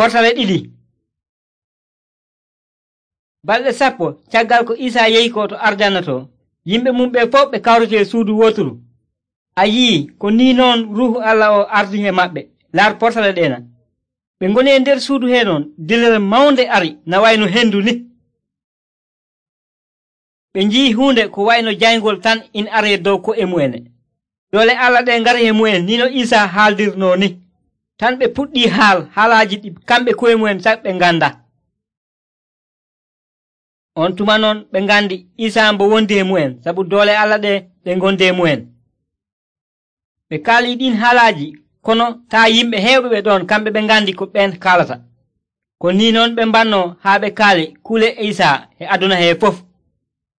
Portale ɗiɗi. Balɗe 10 caggal ko Isaa yehi ko to arjanna to, yimɓe mum ɓe fof ɓe kawriti e suudu woturu. A yi'i ko ni noon Ruuhu Allah o ardi e maɓɓe. Laar portale ɗeena. Ɓe ngoni e nder suudu heenon, dilere mawnde ari na wayno hendu ni. Ɓe nji'i huunde ko wayno jayngol tan ina aree dow ko'e mu'ene. Doole Allah ɗe ngari e mu'en ni no Isaa haaldirnoo ni. Tan ɓe puɗɗii haalaaji ɗi kamɓe ko'e mu'en sak ɓe nganda. On tuma noon ɓe ngandi Isaa mbo wondi e mu'en sabu doole Allah ɗe ngondi e mu'en. Ɓe kaalii ɗin haalaaji kono taa yimɓe heewɓe ɓe ɗon kamɓe ɓe ngandi ko ɓen kaalata. Ko ni noon ɓe mbannoo haa ɓe kaali kuule Isaa e aduna hee fof.